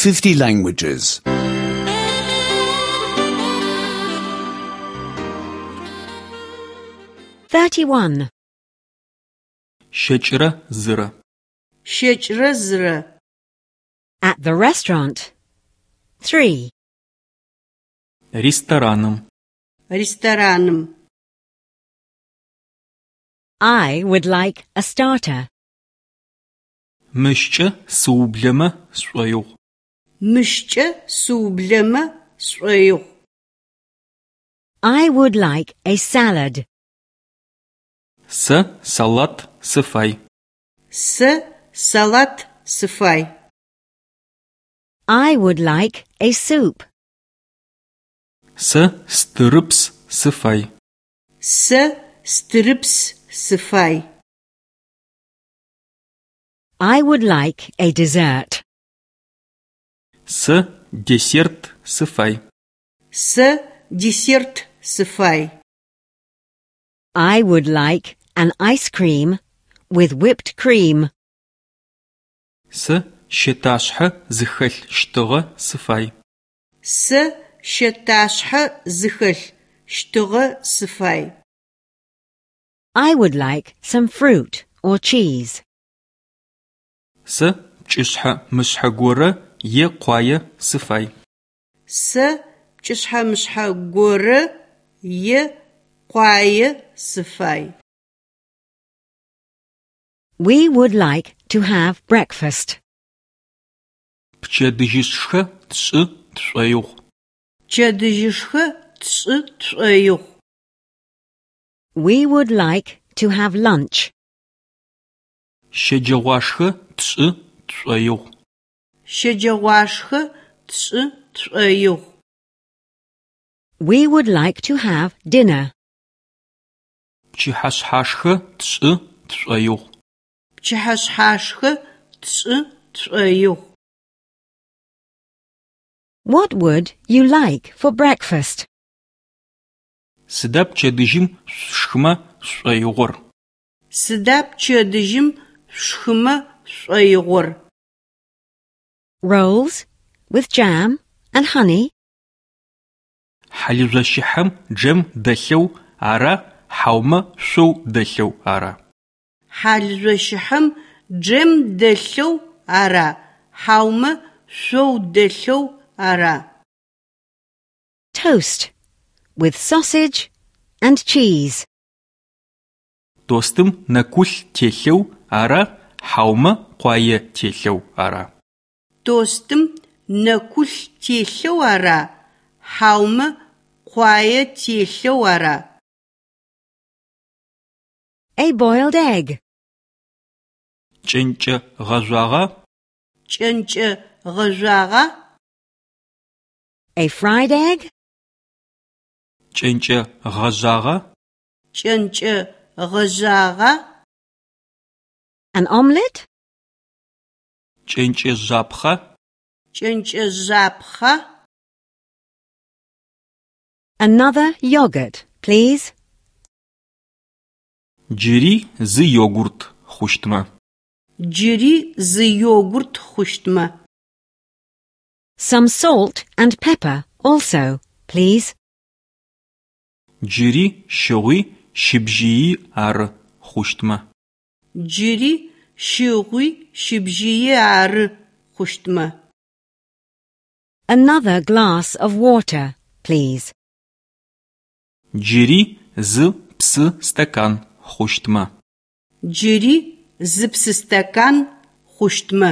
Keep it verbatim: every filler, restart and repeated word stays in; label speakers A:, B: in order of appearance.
A: fifty languages.
B: thirty-one.
C: Щэкӏрэ зырэ.
D: Щэкӏрэ зырэ.
B: At the restaurant. three.
C: Рестораным.
D: Рестораным.
B: I would like a starter.
C: Мыщкӏэ сыублэмэ сшӏоигъу.
D: Мыщкӏэ сыублэмэ сшӏоигъу.
B: I would like a salad.
C: Сэ салат сыфай.
D: Сэ салат сыфай.
B: I would like a soup.
C: Сэ стырыпс сыфай.
D: Сэ стырыпс сыфай.
B: I would like a dessert.
C: Сэ десерт сыфай.
D: Сэ десерт сыфай.
B: I would like an ice cream with whipped cream.
C: Сэ щэташъхьэ зыхэлъ щтыгъэ сыфай.
D: Сэ щэташъхьэ зыхэлъ щтыгъэ сыфай.
B: I would like some fruit or cheese.
C: Сэ пкӏышъхьэ-мышъхьэ горэ е къуае сыфай.
D: Сэ пкӏышъхьэ-мышъхьэ горэ е къуае сыфай.
B: We would like to have breakfast.
C: Пчэдыжьышхэ тшӏы тшӏоигъу.
D: Пчэдыжьышхэ тшӏы тшӏоигъу.
B: We would like to have lunch.
C: Щэджэгъуашхэ тшӏы тшӏоигъу.
D: Щэджэгъуашхэ тшӏы тшӏоигъу.
B: We would like to have dinner.
C: Пчыхьэшъхьашхэ тшӏы тшӏоигъу.
D: Пчыхьэшъхьашхэ тшӏы тшӏоигъу.
B: What would you like for breakfast?
C: Сыда пчэдыжьым шъушхымэ шъушӏоигъор?
D: Сыда пчэдыжьым шъушхымэ шъушӏоигъор?
B: Rolls with jam and honey.
C: Хьалыжъощыхьэм джэм дэлъэу ара хьаумэ шъоу дэлъэу ара?
D: Хьалыжъощыхьэм джэм дэлъэу ара хьаумэ шъоу дэлъэу ара?
B: Toast with sausage and cheese.
C: Тостым нэкулъ телъэу ара хьаумэ къуае телъэу ара?
D: Тостым нэкулъ телъэу ара хьаумэ къуае телъэу ара?
B: A boiled egg.
C: Кӏэнкӏэ гъэжъуагъа?
D: Кӏэнкӏэ гъэжъуагъа?
B: A fried egg.
C: Кӏэнкӏэ гъэжъагъа?
D: Кӏэнкӏэ гъэжъагъа?
B: An omelette.
C: Кӏэнкӏэ жъапхъа?
D: Кӏэнкӏэ жъапхъа?
B: Another yogurt, please.
C: Джыри зы йогурт хъущтмэ.
D: Джыри зы йогурт хъущтмэ.
B: Some salt and pepper also, please.
C: Джыри щыгъуи щыбжьыий ары хъущтмэ.
D: Джыри щыгъуи щыбжьыий ары хъущтмэ.
B: Another glass of water, please.
C: Джыри зы псы стакан хъущтмэ.
D: Джыри зы псы стакан хъущтмэ.